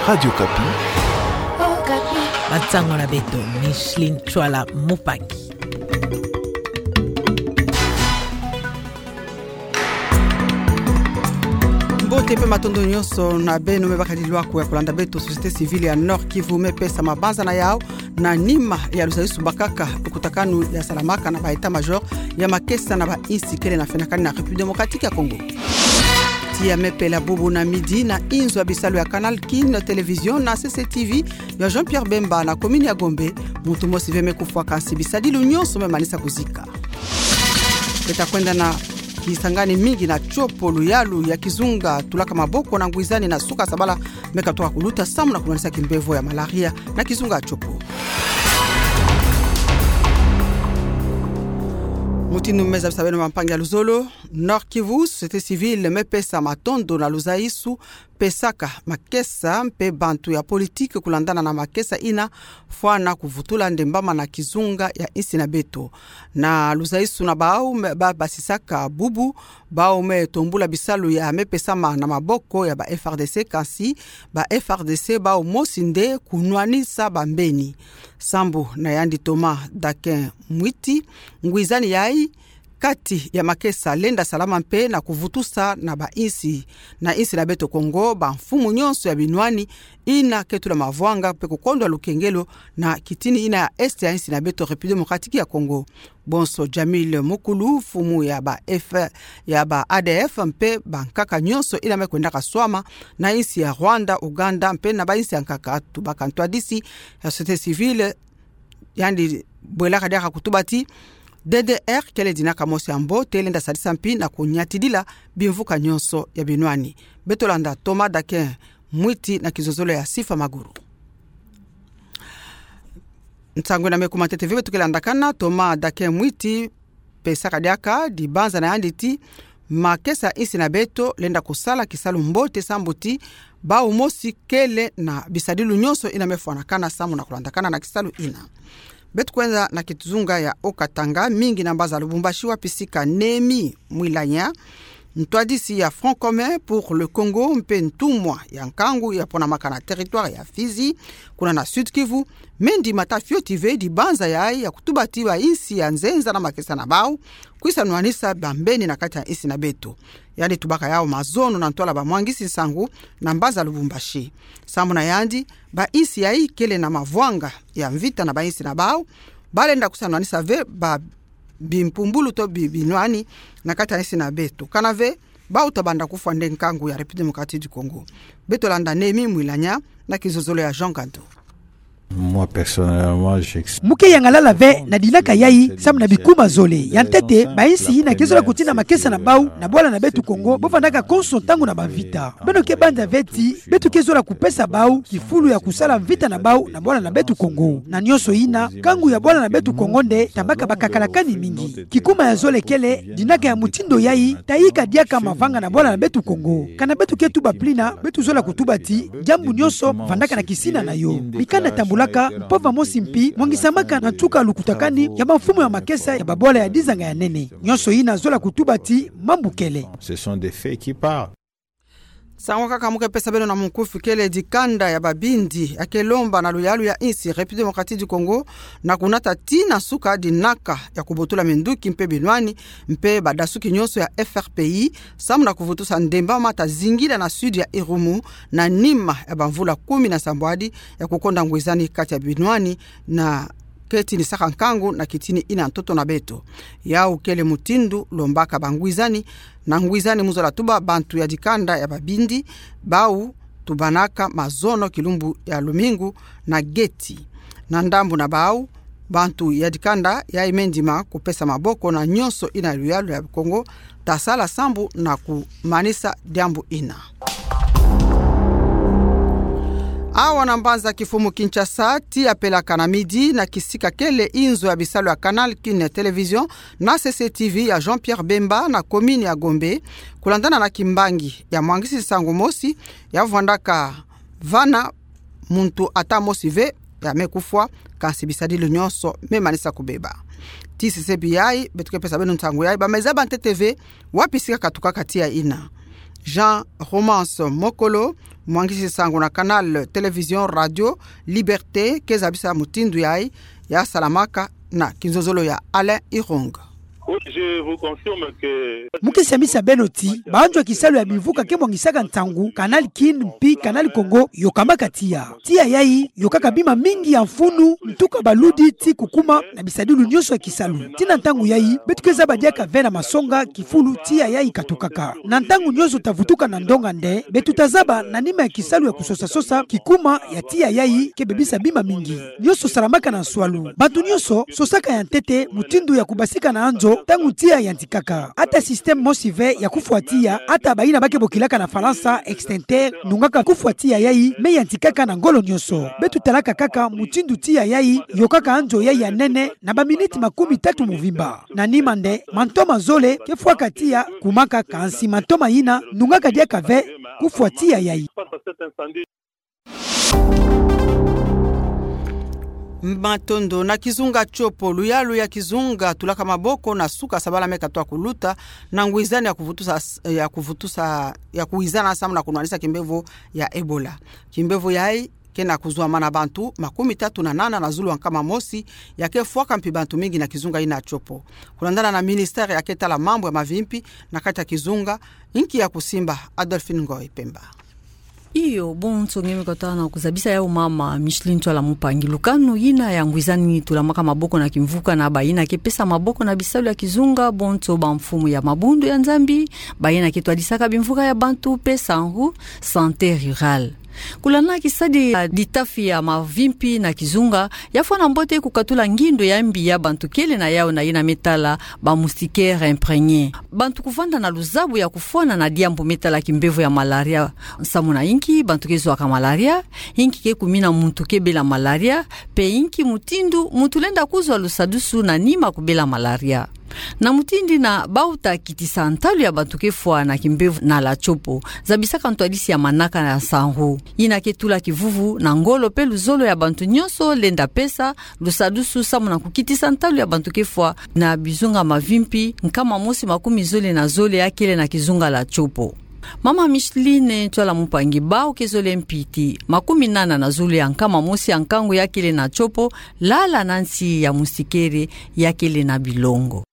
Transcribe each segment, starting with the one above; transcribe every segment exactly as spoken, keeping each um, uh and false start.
Radio Okapi. Bansango na beto, Micheline Tchouala Mupaki. Mbote mpe matondo nyonso na beno me bakadi lwaku ya kolanda beto. Société civile ya Nord-Kivu me pesa mabanzana yau na nima ya luzaisu bakaka lukutakanu ya salamaka na ba état-major ya makesa na bainsi kele na fenakani na République démocratique ya Congo. Tiya me pela bubu na midi na inzo ya bisalu ya Canal Kin Télévision na C C T V ya Jean-Pierre Bemba na commune ya Gombe, muntu mosi ve me kufwa, kansi bisadilu nyonso me manisa kuzika. Beta kwenda na kisangani mingi na tiopo luyalu ya kizunga tulaka maboko na ngwizani na suka sabala me katoka kuluta samu na kumanisa kimbevo ya malaria na kizunga ya tiopo. Mutindu me zabisa beno, bampangi ya luzolo, Nord-Kivu, société civile me pesa matondo na luzaisu pesaka makesa mpe bantu ya politique kulandana na makesa ina fwana kuvutula ndembama na kizunga ya insi na beto. Na luzaisu na bau me ba basisaka bubu, bau me tombula bisalu ya me pesama na maboko ya ba F R D C, kansi ba F R D C bau mosi nde kunwanisa bambeni. Sambu na yandi Thomas Dakin Mwiti, ngwizani yai kati ya makesa lenda salama mpe na kuvutusa na bainsi, na insi na beto Congo, bamfumu nyonso ya binwani ina ke tula mavwanga mpe kukondwa lukengelo na kitini ina ya est ya insi na beto, République démocratique ya Congo. Bonso Jamil Mukulu, mfumu ya ba F, ya ba A D F, mpe bankaka nyonso ina me kwendaka swama na insi ya Rwanda, Ouganda, mpe na bainsi ya nkaka, tubaka ntwadisi ya société civile, yandi bwelaka diaka kutuba ti D D R kele dinaka mosi ya mbote, lenda sadisa mpi na kunyatidila bimvuka nyonso ya binwani. Beto landa Thomas Dakin Mwiti na kizozolo ya Sifa Maguru. Nsangu ina me kuma ntete ve, beto ke landakana Thomas Dakin Mwiti pesaka diaka dibanza na yandi ti makesa insi na beto lenda kusala kisalu mbote sambu ti bau mosi kele na bisadilu nyonso ina me fwanakana samu na kulandakana na kisalu ina. Beto kwenda na kizunga ya Haut-Katanga, mingi na mbanza Lubumbashi, wapi sika Néhémie Mwilanya, ntwadisi ya Front commun pour le Congo mpe ntumwa ya nkangu ya ponamaka na territoire ya Fizi, kuna na Sud-Kivu, me ndima ta fioti ve dibanza yai ya kutuba ti bainsi ya nzenza na makesa na bau kwisa nwanisa bambeni na kati ya insi na beto. Yandi tubaka yau mazono na ntwala bamwangisi nsangu na mbanza Lubumbashi. Samu na yandi, bainsi yai kele na mavwanga ya mvita na bainsi na bau, balenda kwisa nwanisa ve ba bimpumbulu to bi-, binwani na kati ya insi na beto. Kana ve, bau ta banda kufwa nde nkangu ya République démocratique du Congo. Beto landa Néhémie Mwilanya na kizozolo ya Jean Gandu. Moi, personnellement, j'ex- Mu ke yangalala ve na dinaka yai samu na bikuma zole. Ya ntete, bainsi ina ke zola kutina makesa na bau na bwala na beto Congo, bo vandaka konso ntangu na bamvita. Beno ke banza ve ti beto ke zola kupesa bau kifulu ya kusala mvita na bau na bwala na beto Congo. Na nyonso ina, nkangu ya bwala na beto Congo nde tambaka bakakalakani mingi. Kikuma ya zole kele, dinaka ya mutindu yai ta yika diaka mavanga na bwala na beto Congo. Kana beto ke tuba plina, beto zola kutuba ti diambu nyonso vandaka na kisina na yo. Mikanda tambulaka, mpova mosi mpi mwangisamaka na ntuka lukutakani ya bamfumu ya makesa ya babwala ya dizanga ya nene. Nyonso ina zola kutuba ti mambu kele. Ce sont des faits qui parlent. Nsangu kaka mu ke pesa beno na munkufi kele dikanda ya babindi ya ke lomba na luyalu ya insi République démocratique du Congo na kunata tii na nsuka dinaka ya kubotula minduki mpe binwani mpe badasuki nyonso ya F R P I, samu na kuvutusa ndemba ma ta zingila na sud ya Irumu na nima ya bamvula kumi na sambwadi ya kukonda ngwizani kati ya binwani na ke tinisaka nkangu na kitini ina ntoto na beto. Yau kele mutindu lombaka bangwizani na ngwizani mu zola tuba bantu ya dikanda ya babindi, bau tubanaka mazono kilumbu ya lumingu na geti. Na ndambu na bau, bantu ya dikanda yai me ndima kupesa maboko na nyonso ina luyalu ya Congo ta sala sambu na kumanisa diambu ina. Awa na mbanza kifumu Kinshasa, tii ya pelaka na midi na kisika kele inzo ya bisalu ya Canal Kin Télévision na C C T V ya Jean-Pierre Bemba na commune ya Gombe, kulandana na kimbangi ya mwangisi nsangu mosi ya vandaka vana muntu ata mosi ve ya me kufwa, kansi bisadilu nyonso me manisa kubeba. Tii sesebi yai, beto ke pesa beno nsangu yai, ba me zaba ntete ve wapi sika katukaka tii ya ina. Jean Romance Mokolo, Mwangisi sango na Canal Télévision Radio Liberté ke zabisa mutindu yayi ya salamaka na kinzonzolo ya Alain Irung. Oui, je vous confirme que... Mu ke siamisa beno ti banzo ya kisalu ya bimvuka ke mwangisaka nsangu, Canal Kin mpi Canal Congo, yokamaka tiya. Tiya yayi yokaka bima mingi ya mfunu, ntuka baludi ti kukuma na bisadilu nyonso ya kisalu. Tii na ntangu yayi, beto ke zaba diaka ve na masonga kifulu tiya yayi katukaka. Na ntangu nyonso ta vutuka na ndonga nde, beto ta zaba na nima ya kisalu ya kusosa-sosa kikuma ya tiya yayi ke bebisa bima mingi. Nyonso salamaka na nswalu. Bantu nyonso sosaka ya ntete mutindu ya kubasika na anzo ntangu tiya yantikaka. Ata système mosi ve ya kufwa tiya, ata bayina ba ke bokilaka na Falansa extincteur, nungaka kufwa tiya yayi, me yantikaka na ngolo nyonso. Beto talaka kaka mutindu tiya yayi yokaka anzo yayi ya nene na baminiti makumi tatu mvimba. Na nima nde, mantoma zole ke fwaka tiya kumaka, kansi mantoma yina nungaka diaka ve kufwa tiya yayi. Matondo. Na kizunga Tshopo, luyalu ya kizunga tulaka maboko na suka sabala me katwa kuluta, na ngwizani ya kuvutusa, ya kuvutusa, ya kuwizana samu na kunwanisa kimbevo ya Ebola. Kimbevo yayi ke na kuzwama na bantu makumi tatu na nana na zulu ya nkama mosi, ya ke fwaka mpi bantu mingi na kizunga yina Tshopo. Kulandana na ministère ya ke tala mambu ya mavimpi na kati ya kizunga, inki ya kusimba? Adolphine Ngoy Pemba. Iyo, bonso nge me kota na kuzabisa yau mama Micheline Ntsoala Mpangi. Lukanu yina ya ngwizani tulamaka maboko na kimvuka na bayina ke pesa maboko na bisalu ya kizunga, bonso bamfumu ya mabundu ya Nzambi, bayina ke twadisaka bimvuka ya bantu pe SANRU, santé rurale. Kulana kisadi ya litafi ya mavimpi na kizunga, ya fwana mbote kukatula ngindo ya mbi ya bantu kele na yau na yina me tala ba moustiquaire imprégné. Bantu kuvanda na luzabu ya kufwana na diambu me tala kimbevo ya malaria. Samu na inki bantu ke zwaka malaria, inki ke kumina muntu ke bela malaria, pe inki mutindu muntu lenda kuzwa lusadusu na nima kubela malaria. Na mutindu yina bau ta kitisa ntalu ya bantu ke fwa na kimbevo na la Tshopo, zabisaka ntwadisi ya manaka na SANRU, yina ke tula kivuvu na ngolo pe luzolo ya bantu nyonso lenda pesa lusadusu samu na kukitisa ntalu ya bantu ke fwa na bizunga mavimpi nkama mosi makumi zole na zole ya kele na kizunga la Tshopo. Mama Micheline Ntsoala Mpangi, bau ke zole mpi ti makumi nana na zole ya nkama mosi ya nkangu ya kele na Tshopo, lala na nsi ya moustiquaire ya kele na bilongo.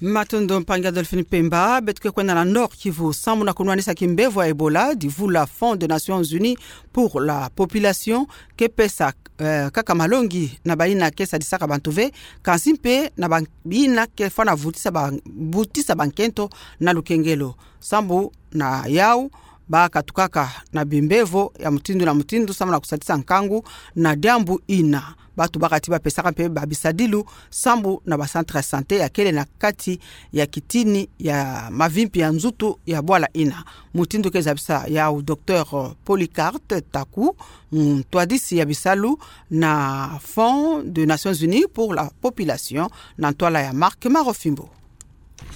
Matondo mpangi Adolphine Pemba. Beto ke kwenda na Nord-Kivu, samu na kunwanisa kimbevo ya Ebola, divula Fonds des Nations Unies pour la Population ke pesa, eh, kaka malongi na bayina ke sadisaka bantu ve, kansi mpe na bayina ke fwana vutisa ba, vutisa bankento na lukengelo. Samu na yau, ba katukaka na bimbevo ya mutindu na mutindu samu na kusadisa nkangu na diambu yina. Bantu baka ti ba pesaka mpe ba bisadilu samu na ba centre ya santé ya kele na kati ya kitini ya mavimpi ya nzutu ya bwala yina. Mutindu ke zabisa yau Docteur Polycarpe Taku, ntwadisi ya bisalu na Fonds des Nations Unies pour la Population, na ntwala ya Marc Marofimbo.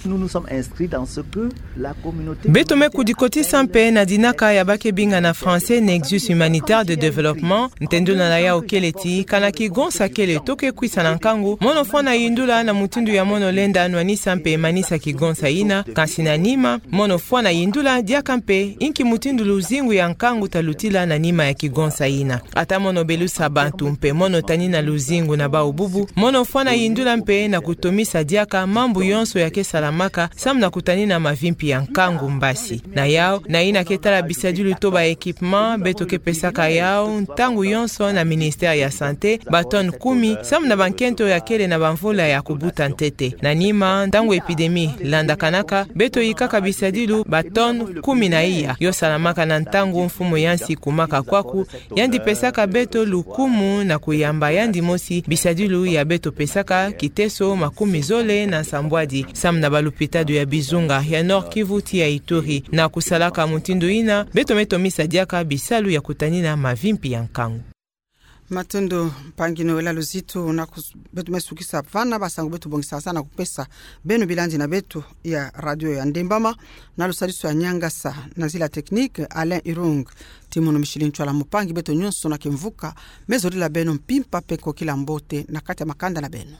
Nous nous sommes inscrits dans ce que la communauté... Beto me kudikotisa mpe na dinaka ya ba ke benga na français nexus humanitaire de développement. Ntendula na yau kele ti, kana kigonsa kele to ke kwisa na nkangu, mono fwana yindula na mutindu ya mono lenda nwanisa mpe manisa kigonsa yina, kansi na nima, mono fwana yindula diaka mpe inki mutindu luzingu ya nkangu ta lutila na nima ya kigonsa yina. Ata mono belusa bantu mpe mono tanina luzingu na bau bubu, mono fwana yindula mpe na kutomisa diaka mambu yonso ya ke salamaka samu na kutanina mavimpi ya nkangu mbasi. Na yau, na yina ke tala bisadilu to ba équipement, beto ke pesaka yau ntangu yonso na ministère ya santé ba tonnes kumi, samu na bankento ya kele na bamvula ya kubuta ntete. Na nima, ntangu épidémie landakanaka, beto yikaka bisadilu ba tonnes kumi na iya, yo salamaka na ntangu mfumu ya nsi kumaka kwaku, yandi pesaka beto lukumu na kuyamba yandi mosi bisadilu ya beto pesaka kiteso makumi zole na nsambwadi, samu na balupitalo ya bizunga ya Nord-Kivu ti ya Ituri. Na kusalaka mutindu yina, beto me tomisa diaka bisalu ya kutanina mavimpi ya nkangu. Matondo mpangi Noëlla Luzitu, na kus-, beto me sukisa vana basangu beto bongisaka na kupesa beno bilandi na beto ya radio ya Ndembama, na lusadisu ya nyangasa na nzila technique Alain Irung. Ti mono Micheline Ntsoala Mpangi, beto nyonso na kimvuka me zolila beno mpimpa mpe kokila mbote na kati ya makanda na beno.